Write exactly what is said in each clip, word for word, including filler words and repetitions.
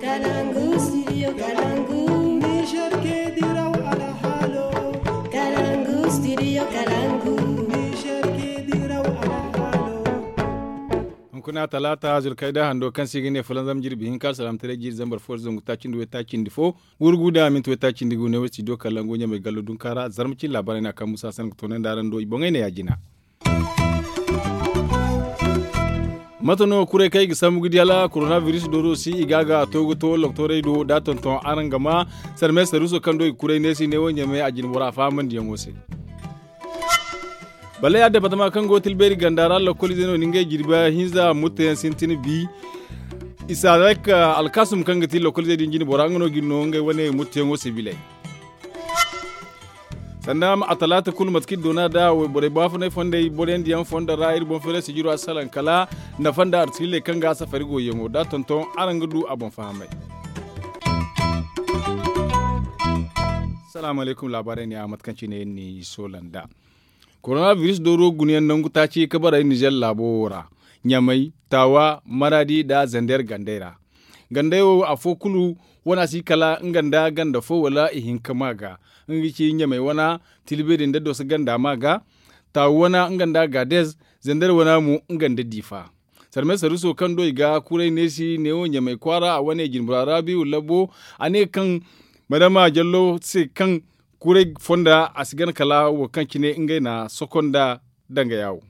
Kalangu studio kalangu. Niger ke diraw alhalo. Kalangu studio kalangu. Niger ke diraw alhalo. Hunkuna talaata zulkayda hando kaŋ se i ga ne fulanzam jirbi hinka alsalam taray jiiri zambar fo zangu taaci nda way taaci nda fo. Gurgu da minti way taaci nda gu ne way studio kalangu ɲamay gallo dunka ra zarma cin laabaarey no a kaŋ musa sanni ga toonandi araŋ do i boŋey ne ya jina. Mate no kuray kaŋ i ga sambu ga di hala koronabiris dooro si i ga a ga a to ga to loktorey do da tonton araŋ ga ma sarme saruuso kaŋ do i ga kuray neesi neewo ɲamay a jina bora faahamandiyaŋo se. Balley a departama kaŋ go tilbeeri ganda ra lokoliizey no ni ngey jirbi hinza mutteyaŋ sintin bi. Isaarak alkasum kaŋ ga ti lokoliizey din jine bora nga no ga ni no ngey wane mutteyaŋo se bilay. Sanda a talaata kulu mate kaŋ iri doona da wayborey baafunay fondey boroyandiyaŋ fondo ra iri boŋ feeray sijiro a salaŋ kala nafa nda artilley kaŋ ga a safari goyyaŋo da tonton araŋ ga du a boŋ fahamay. Salaamu alaykum laabaarey ne a mate kaŋ cine iri n'i soola nd'a. Koronabiris dooro gunayaŋ nangu taaci ka bara nizer laabo wo ra ɲamay taawa maraadi nda zander gandey ra. Gandey wo afo kulu wana si kala nga nda ganda fo wala ihinka ma ga. Nga ga ci ɲamay wana tilbeeri nda doso ganda ma ga. Taawa wana nga nda gaadez zander wana mo nga nda diifa. Sarmay saruuso kaŋ do i ga kuray neesi neewo ɲamay kwaara a wane jinbura raabiiwu labbo. A ne kaŋ madama jallo se kaŋ kuray fonda a si gana kala wo kaŋ cine ngey na sokonda danga yaawo.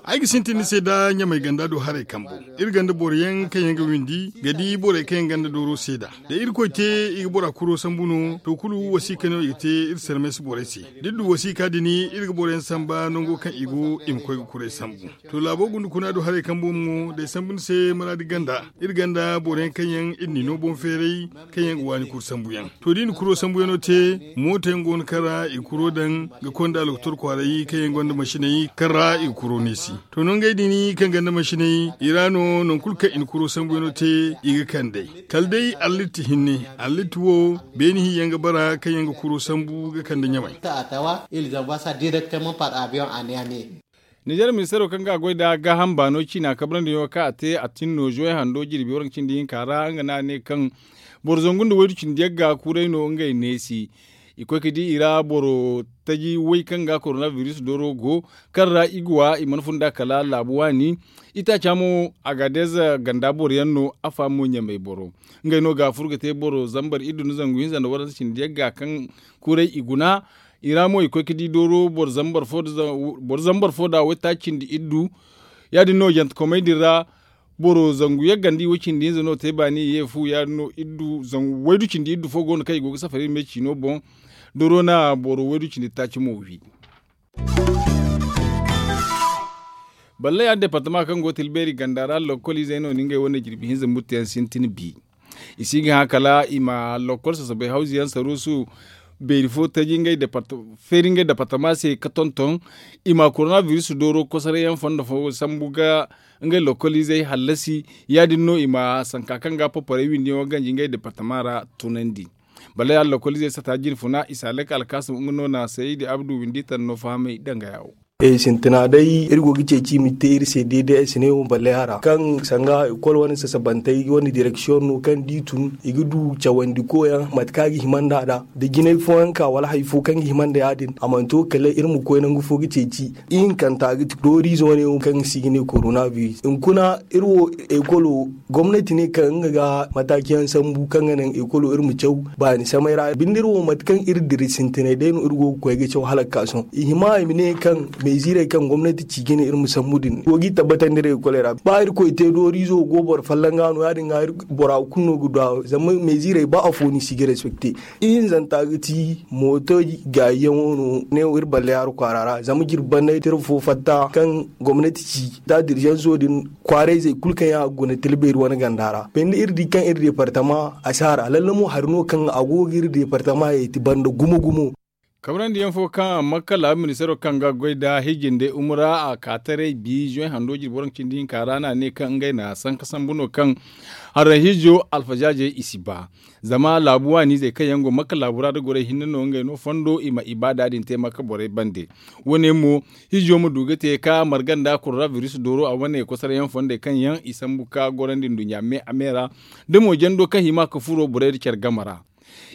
Ay ga sintin ni se da ɲamay ganda do haray kambo. Iri ganda boroyaŋ kaŋ yaŋ ga windi ga di borey kaŋ yaŋ ganda dooro seeda. Da irkoy te i ga bora kuro sambu no to kulu wasiika no i ga te iri sarmay si borey se. Da iri du wasiika din iri ga boroyaŋ samba nango kaŋ i go i ma koy ga kuray sambu. To laabo gunda kuna do haray kambo mo day sambu ni se maraadi ganda. Iri ganda boroyaŋ kaŋ yaŋ iri n'i no boŋ feeray kaŋ yaŋ ga waani kuru sambuyaŋ. To da i na kuro sambuyaŋo te mooto yaŋ go no kaŋ ra i ga kuro daŋ ga konda lokotor kwaaray kaŋ yaŋ gonda masiney kaŋ ra i ga kuro neesi. To no ngey din kaŋ gonda masiney i ra no nangu kulu kaŋ i na kuro sambuyaŋo te i ga kand'ey. Kala day allitti hinne allitti wo beene hinyaŋ ga bara kaŋ yaŋ ga kuro sambu ga kande ɲamay. Nizer ministaro kaŋ ga a goy nda gaaham baano ciina kabrandi yaŋo kaŋ a te a tin no zuway hando jirbi waranka cindi hinka ra nga no a ne kaŋ boro zangu nda waydu cindi yagga kuuray no ngey neesi. I koy ga di i ra boro taji way kaŋ ga koronabiris dooro go kaŋ ra i ga wa i mana fun da kala laabu waani. Itaaca mo agadez ganda boro yaŋ no a faamo ɲamay boro ngey no ga a fur ga te boro zambar iddu nda zangu hinza nda waranka cindi yagga kaŋ kuuray i guna. I ra mo i koy ga di dooro boro zambar fo nda waytaaci cindi iddu. Ya- din no jantekomey din ra boro zangu yaggandi way cindi hinza no te baani i ye fu ya- din no waydu cindi iddu fo go no kaŋ i go ga safari iri me ciino boŋ. Dooro na boro waydu cindi taaci mo wi. Balley a departama kaŋ go tilbeeri ganda ra lokoliizey no ni ngey wane jirbi hinza mutteyaŋ sintin bi. I si ga hã kala i ma lokol sasabay hawziyaŋ saruusu beeri fo taji ngey departama se ka tonton. I ma koronabiris dooro kosorayyaŋ fondo fo sambu ga ngey lokoliizey hallasi. Ya- din no i ma sanka kaŋ ga paparey windiyaŋo ganji ngey departama ra tunandi. Balley a lokoliizey sata jine funa i si halak alkaasim nga no na saydi abdu windi tanno fahamay danga yaawo. Sintina day iri go ga ceeci i ma te iri se deede ay si ne wo balle a ra kaŋ sanga ekol wane sasabantey wane direksiyoŋ no kaŋ da i tun i ga du cawandi koyaŋ mate kaŋ a ga hima nd'a da da jinay fooyaŋ ka wala hari fo kaŋ ga hima nda ya- din a mana to kala iri ma koy nangu fo ga ceeci. Ihinkanta ga ti dooriize wane wo kaŋ se i ga ne koronabiris hunkuna iri wo ekolo gomnati ne kaŋ nga ga mataakiyaŋ sambu kaŋ ga naŋ ekolo iri ma caw baani samay ra binde iri wo mate kaŋ iri dira sintinay day no iri go ga koy ga caw hala ga ka sohõ i hima i ma ne kaŋ meziirey kaŋ gomnati ci ga ne iri ma sambu din go ga i tabbatandi iri ekoley ra ba irkoy te dooriizo go boro folloŋ ga no ya- din ga bora kulu no ga du a zama meziirey ba afo no i si ga respekte. Ihinzanta ga ti mooto gaayiyaŋo no ne wo iri balle hara kwaara ra zama jirbi banda tirba fo fatta kaŋ gomnati ci da dirzaŋo din kwaarayzey kulu kaŋ yaŋ a ga guna tilbeeri wane ganda ra binde iri di kaŋ iri departama a si hara lalle mo hari no kaŋ a go ga iri departama yeeti banda gumo gumo. Kabrandi yaŋ fo kaŋ a makka laabu ministeero kaŋ ga goy nda hijjinde umura a ka taray bi zuway hando jirbi waranka cindi hinka ra no a ne kaŋ ngey na sanka sambu no kaŋ haray hijo alfazaazey i si ba. Zama laabu waani izey kaŋ yaŋ go makka laabu ra nda gorey hinne no ngey no fondo i ma ibaada din te makka borey bande. Wo- ne mo hijo ma du ga te ka marga nda korona biris dooro a wane kosaray yaŋ fondey kaŋ yaŋ i sambu ka gorandi nduɲɲa me a me ra, da mo jando kaŋ hima ga furo borey nda care game ra.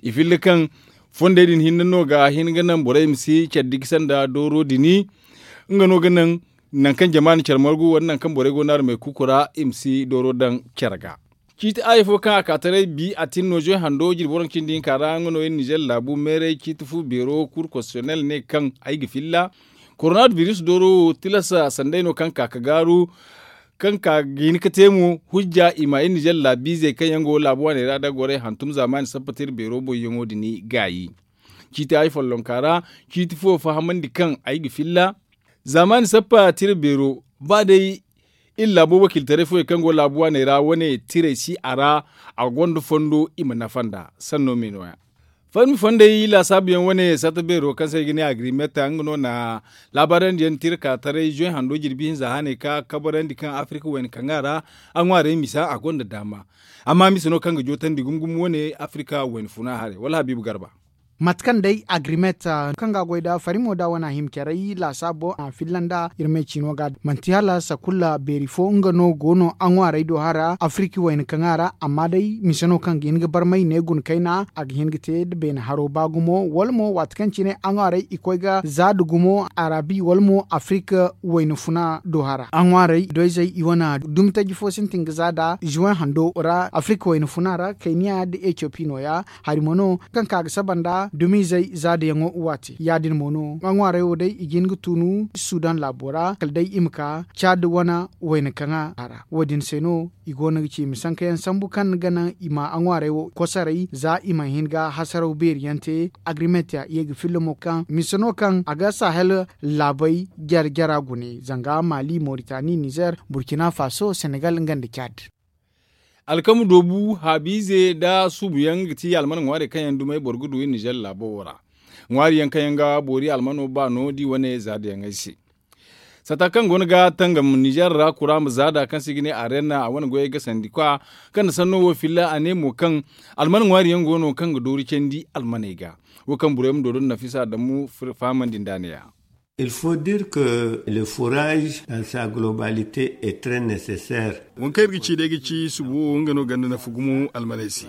I filla kaŋ fondey din hinne no ga hin ga naŋ borey ma si care digi sanda dooro dini. Nga no ga naŋ nangu kaŋ jama na care margu wala nangu kaŋ borey go no armey kuuku ra i ma si dooro daŋ care ga. Ciiti aayi fo kaŋ a ka taray bi a tin no zuway hando jirbi waranka cindi hinka ra nga no iri nizer laabu meeray ciiti fu beero kuur konsititiyonel ne kaŋ ay ga filla. Korona biris dooro wo tilas sanday no kaŋ ka ga gaaru kaŋ ka ga hin ga te mo hujja i ma iri nizer laabiizey kaŋ yaŋ go laabu waaney ra nda gorey hantum zaamaani sappa tira beero boyyaŋo din gaayi. Ciiti aayi follonka ra ciiti fo fahamandi kaŋ ay ga filla. Zaamaani sappa tira beero ba day iri laabo wakiiltaray fooyaŋ kaŋ go laabu waaney ra wane tirey si a ra. A gonda fondo i ma nafa nd'a sanno me nooya. Farmi fondey laasaabu yaŋ wane satta beero kaŋ se ay ga ne agrimeta nga no na laabaarandi yaŋ tira ka taray zuway hando jirbi hinza haaney ka kabarandi kaŋ afirika wayna kaŋ a ra a ŋwaarey misa a gonda daama. Amma mise no kaŋ ga jootandi gumo gumo wane afirika wayna funa haray wala habiibu garba. Mate kaŋ day agrimet kaŋ ga a goy nda farimo nda wane a hima care ay laasaabo a filla nda iri me ciino ga manti hala sakulla beeri fo nga no go no a ŋwaarey do hara afiriki wayna kaŋ a ra amma day mise no kaŋ ga hin ga barmay ne guna kayna a ga hin ga te nda beene haro ba gumo wala mo waati kaŋ cine a ŋwaarey i koy ga za nda gumo arabi wala mo afiriki wayna funa do hara a ŋwaarey doyzey i wane dumi taji fo sintin ga za nda zuwen hando ra afiriki wayna funa ra kayniya nda etiyopi nooya. Hari mo no kaŋ ka ga saba nda dumiizey zaadayaŋo waate ya- din mo no a ŋwaarey wo day i ga hin ga tuunu sudan laabo ra kala day i ma ka caadi wane wayna kaŋ a ra wo- din se no i go no ga ci i ma sanka yaŋ sambu kaŋ ga naŋ i ma a ŋwaarey wo kosoray za i ma hin ga hasaraw beeri yaŋ te. Agrimet ya ye ga filla mo kaŋ mise no kaŋ a ga sahel laabey jare jara gune zanga mali moritani nizer burkina faso senegal nga nda caadi. Alkama doobu haabiize nda suubuyaŋ ga ti alman ŋwaarey kaŋ yaŋ dumey boro ga du iri nizer laabo wo ra. Ŋwaariyaŋ kaŋ yaŋ ga boori almano baano da i wane zaadayaŋey se. Sata kaŋ go no ga tangam nizer ra kura ma zaada kaŋ se i ga ne arena a wane goyey ga sandi kwa kaŋ na sanno wo filla a ne mo kaŋ alman ŋwaariyaŋ go no kaŋ ga doori candi almaney ga. Wo kaŋ burey ma doodon nafisa dammu fahamandi nda a ne ya. Il faut dire que le fourage dans sa globalité est très nécessaire. Waŋ kaŋ iri ga ci day ga ci subu wo nga no ganda nafa gumo almaney se.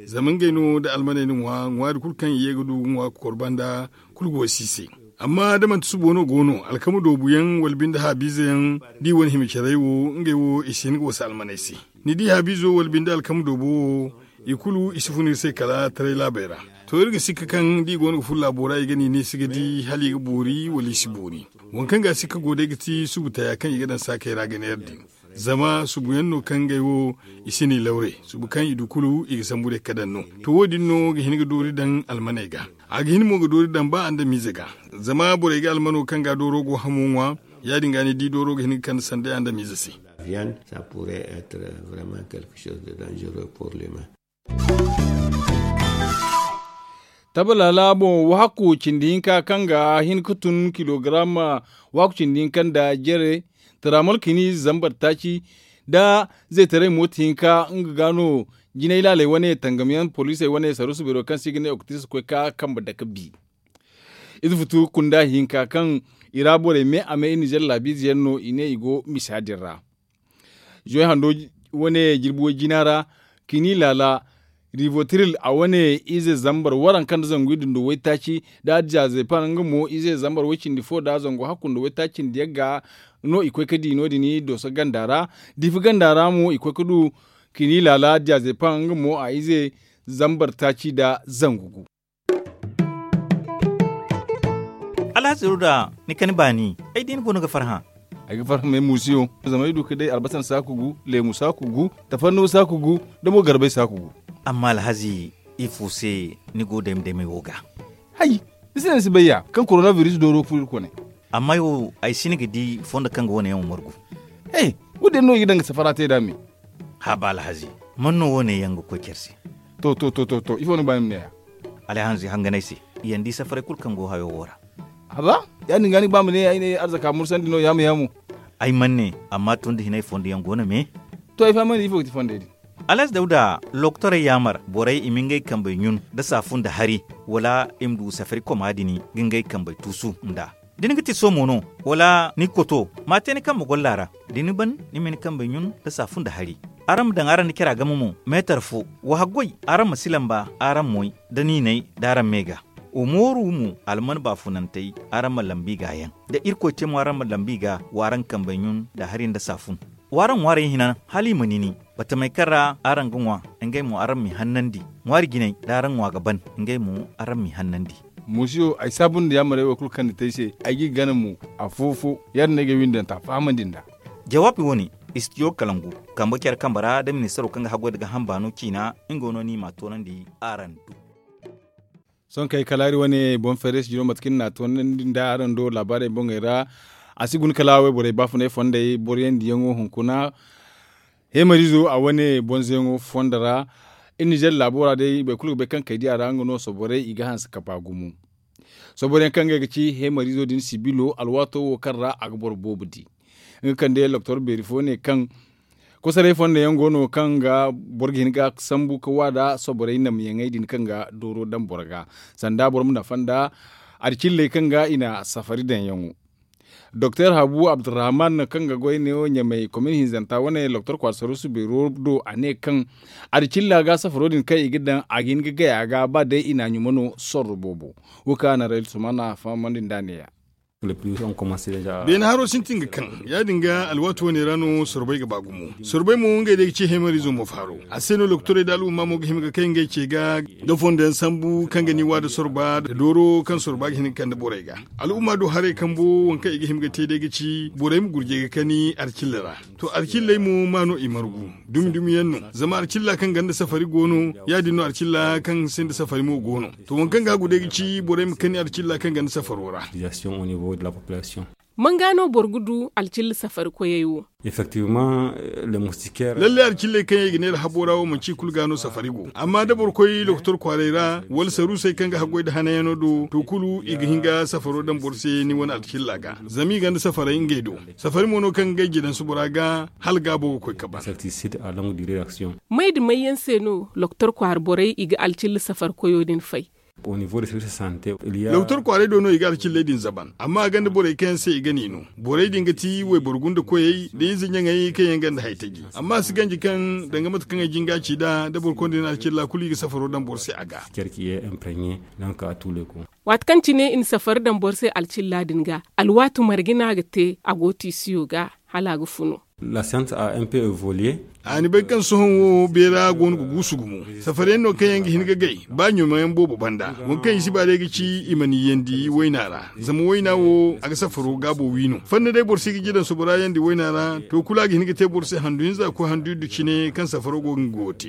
Zama ngey no da almaney na ŋwa ŋwaari kulu kaŋ i ye ga du ga ŋwa ga kor banda kulu go si se. Amma da manti subo no go no alkama doobuyaŋ wala binde haabiizeyaŋ da i wane hima carey wo ngey wo i si hin ga wasa almaney se. Ni di haabiizo wala binde alkama doobo wo i kulu i si fun iri se kala taray laabey ra. To iri ga sikka kaŋ da i go no ga fun laabo ra i ga ni ne si ga di hala i ga boori wala i si boori. Waŋ kaŋ ga a sikka go day ga ti subu taya kaŋ i ga daŋ saakey ra ga neera din. Zama subu yaŋ no kaŋ ngey wo i si ni lawre subu kaŋ i du kulu i ga sambu day ga daŋ no. To wo- din no ga hin ga doori daŋ almaney ga. A ga hin mo ga doori daŋ ba andamiize ga. Zama borey ga almano kaŋ ga dooro go hamo ŋwa ya- din ga ni di dooro ga hin ga kande sanda andamiize se. Viande, ça pourrait être vraiment quelque chose de dangereux pour l'humain. Tabalaala boŋ waaku cindi hinka kaŋ ga hin ga tun kilogaram waaku cindi hinka nda jere taramol kini zambar taaci nda zaytaray mooti hinka nga ga no jinay laaley wane tangamyaŋ poliisey wane saruusu beero kaŋ se i ga ne oktiris koy ka kambe dake bi. Ize futu kunda hinka kaŋ i ra borey me a me i nizer laabiize yaŋ no i ne i go misa din ra. Zuway hando wane jirbi way jina ra kini laala rivotiril a wane ize zambar waranka nda zangu iddu nda waytaaci da addiya zepan nga mo ize zambar way cindi fo da zangu hakku nda waytaaci nda yagga no i koy ga di no- din dooso ganda ra. Diifi ganda ra mo i koy ga du kini laala addiya zepan nga mo a ize zambar taaci nda zangu gu. Alhaziru da ni kani baani ay di ni go no ga farhã. Ay ga farhã me muusiyo zama ay du ga day albasan saaku gu leemu saaku gu tafanno saaku gu da mo garbay saaku gu. Amma alhazi ifo se ni go dayma daymay wo ga? Hay, ni si ne ni si bay ya kaŋ korona biris dooro ga furo iri kone. Amma ay wo ay si ni ga di fondo kaŋ ga wane yaŋ wo margu. He, wo- din no i ga daŋ ga safara te nd'a me. Haaba alhazi, man no wo- ne yaŋ ga koy care se? To to to to to ifo no ga ba ni ma ne ya? Alhazi hanganay se. yaŋ di safaray kulu kaŋ go hayo wo ra. A ba, ya- din ga ni ga ba ma ne ay ne arzaka mursandi no yaamu yaamu. Ay mana ne, amma tun da hinay fondo yaŋ go no me. To ay fahamandi ifo ga ti fondey din. Alaaz dawda, loktorey yaamar borey i ma ngey kambey ɲun nda saafun nda hari, wala i ma du safari koma din ga ngey kambey tuusu nd'a. Da ni ga ti somo no, wala ni koto, ma a te ni kambe golla ra. Da ni ban, ni ma ni kambey ɲun nda saafun nda hari. Araŋ ma daŋ araŋ nda cara game mo, meetar fo. Wa haggoy, araŋ ma si lamba araŋ moy, da niinay da araŋ me ga. Wa mooru mo, alman baafunantey, araŋ ma lambu i ga yaŋ. Da irkoy te mo araŋ ma lambu i ga, wa araŋ kambey ɲun nda hari nda saafun. Wa araŋ ŋwaarey hina hala i ma nini. Batamey kaŋ ra araŋ ga ŋwa, ngey mo araŋ m'i hannandi. Ŋwaari jinay da araŋ ŋwa ga ban, ngey mo araŋ m'i hannandi. Musiyo, ay saabu nda yaamarey wo kulu kaŋ ni te ay se, ay g'i gana mo, afo-fo. Ya- din no ay ga ay windanta fahamandi nd'a. Jawaabi wo- ne, istidiyo kalangu, kambe care kambe ra da ministaro kaŋ ga haggoy nda gaaham baano ciina, nga no ni m'a toonandi araŋ do. Sohõ kay kala hari wane boŋ feeray sijiro mate kaŋ ni n'a toonandi nda araŋ do laabaarey boŋey ra. A si guna kala wayborey baafunay fondey boroyandiyaŋo hunkuna. Heemariizo a wane boŋ zeeyaŋo fondo ra. Iri nizer laabo ra day boro kulu ga bay kaŋ kaydiya ra nga no soborey i ga hanse ka ba gumo. Soboroyaŋ kaŋ ngey ga ci heemariizo din sibilo alwaato wo kaŋ ra a ga boro boobo di. Nga kande loktor beeri fo ne kaŋ kosoray fondo yaŋ go no kaŋ ga boro ga hin ga sambu ka wa nda soborey namyaŋey din kaŋ ga dooro daŋ boro ga. Sanda boro ma nafa nda arcilley kaŋ ga i na safari daŋyaŋo. Doktor habu abdurrahman kaŋ ga goy neewo ɲamay komin hinzanta wane loktor kwaara saruusu beero do a ne kaŋ arcilla ga safaro din kaŋ i ga daŋ a ga hin ga gay a ga ba day i na ɲuma no sorro boobo. Wo kaŋ a na rayil sumana fahamandi nd'a neeya. Beene haro sintin ga kaŋ ya- din ga alwaati wane ra no sorbay ga ba gumo. Sorbay mo ngey day ga ci heemariizo mo faaro. A se no lokotorey nda al'umma mo ga hima ga kay ngey ce ga da fondo yaŋ sambu kaŋ ga ni wa nda sorba nda dooro kaŋ sorba ga hin ga kande borey ga. Al'umma do haray kambo waŋ kaŋ i ga hima ga te day ga ci borey ma gurjay ga kani arcilla ra. To arcilley mo ma no i margu. Dumi dumi yaŋ no. Zama arcilla kaŋ ganda safari go no ya- din no arcilla kaŋ sinda safari mo go no. To waŋ kaŋ ga hagu day ga ci borey ma kani arcilla kaŋ ganda safaro ra. Manga no boro ga du alcilla safari koyey wo? Lalle alcilley kaŋ yaŋ i ga neera habo ra wo manci i kulu ga no safari go. Amma da boro koy lokotor kwaaray ra wala saruusey kaŋ ga haggoy nda hananyaŋo do to kulu i ga hin ga safaro daŋ boro se ni wane alcilla ga. Zama i ganda safaray ngey do. Safari mo no kaŋ ga ngey jidansu bora ga hala gaabo ga koy ka ban. May nda may yaŋ se no lokotor kwaara borey i ga alcilla safari koyo din fay? Lokotor kwaaray do no i ga alcilley din zaban amma a gonda borey kaŋ yaŋ se i ga ni no. Borey din ga ti wayboro gunda koyey nda ize ɲaŋey kaŋ yaŋ gonda haytaji. Amma a si ganji kaŋ danga mate kaŋ ay jin ga a ci nd'a da boro konda ni alcilla kulu i ga safaro daŋ boro se a ga. Waati kaŋ cine i na safari daŋ boro se alcilla din ga alwaati marga no a ga te a go tiisiyo ga hala a ga funu. A ni bay kaŋ sohõ wo beera go no ga guusu gumo. Safariyaŋ no kaŋ yaŋ ga hin ga gay ba ɲumayaŋ boobo banda. Waŋ kaŋ i si ba day ga ci i ma niyyandi wayna ra. Zama wayna wo a ga safaro gaabo wi no fanna day boro si ga jidansu bora yaŋ di wayna ra. To kulu a ga hin ga te boro se handu hinza ga koy handu iddu cine kaŋ safaro go ga nga go ga te.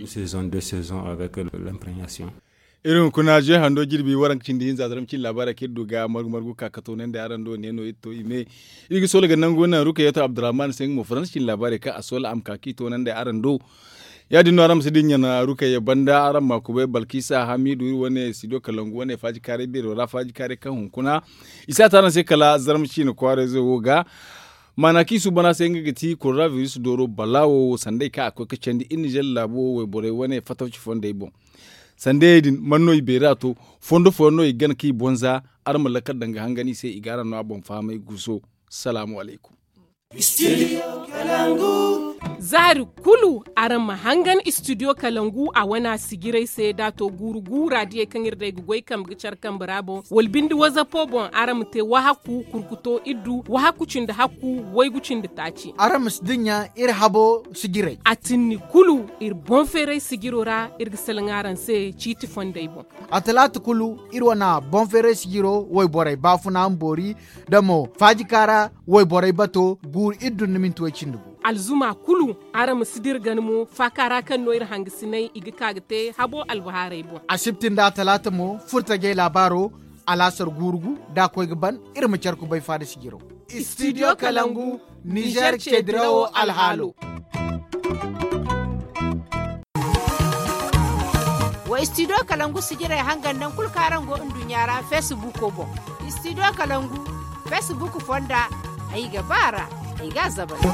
Iri hunkuna ze hando jirbi waranka cindi hinza zarma cin laabaarey kaŋ iri du ga margu margu ka ka toonandi araŋ do ne no iri to i me. Iri ga soola ga nangu naŋ rukayatu abdurrahman se nga mo faransa cin laabaarey kaŋ a soola a ma ka kaŋ i toonandi araŋ do. Ya- din no araŋ ma si dinya na rukayya banda araŋ ma kubay balkisa hamidu iri wane studio kalangu wane faaji kaaray beero ra faaji kaaray kaŋ hunkuna. I si a te araŋ se kala zarma ciina kwaarayzo wo ga. Maana kaŋ i suuban a se nga ga ti korona biris dooro balaawo wo sanday kaŋ a koy ga candi iri nizer laabo wayborey wane fatawci fondey boŋ. Sandayey din man no i beera to? Fondo fooyaŋ no i gana kaŋ i boŋ za. Araŋ ma lakkal daŋ ga hangan i se i ga araŋ no a boŋ fahamay guuso. Salaamu alaykum. Zaari kulu araŋ ma hangan istidiyo kalangu a wane a sijirey se da a to guuru guura diyey kaŋ iri day ga goy kambe ga care kambe ra boŋ wala binde wazapo boŋ araŋ ma te wahakku kurkuto iddu wahakku cindi hakku waygu cindi taaci. Araŋ ma si dinya iri habo sijirey. A tinni kulu iri boŋ feeray sijiro ra iri ga salaŋ araŋ se ciiti fondey boŋ. A talaata kulu iri wane boŋ feeray sijiro wayborey baafuna ma boori da mo faajika ra wayborey bato guuru iri dunna minti way cindi gu. Alzuma kulu araŋ ma si dira gana mo faaka ra kaŋ no iri hangasinay i ga ka ga te habo albahaarey boŋ. Asibti nda talaata mo furtajey laabaaro alaasar guuru gu da a koy ga ban. Iri ma care kubay faada sijiro. Studio kalangu nizer ce dirawo alhaalo. Istidiyo kalangu sijirey hangan naŋ kulu kaŋ araŋ go nduɲɲa ra feesibuuko boŋ. Istidiyo kalangu feesibuuku fonda. Ay ga ba a ra. Ay ga a zabari.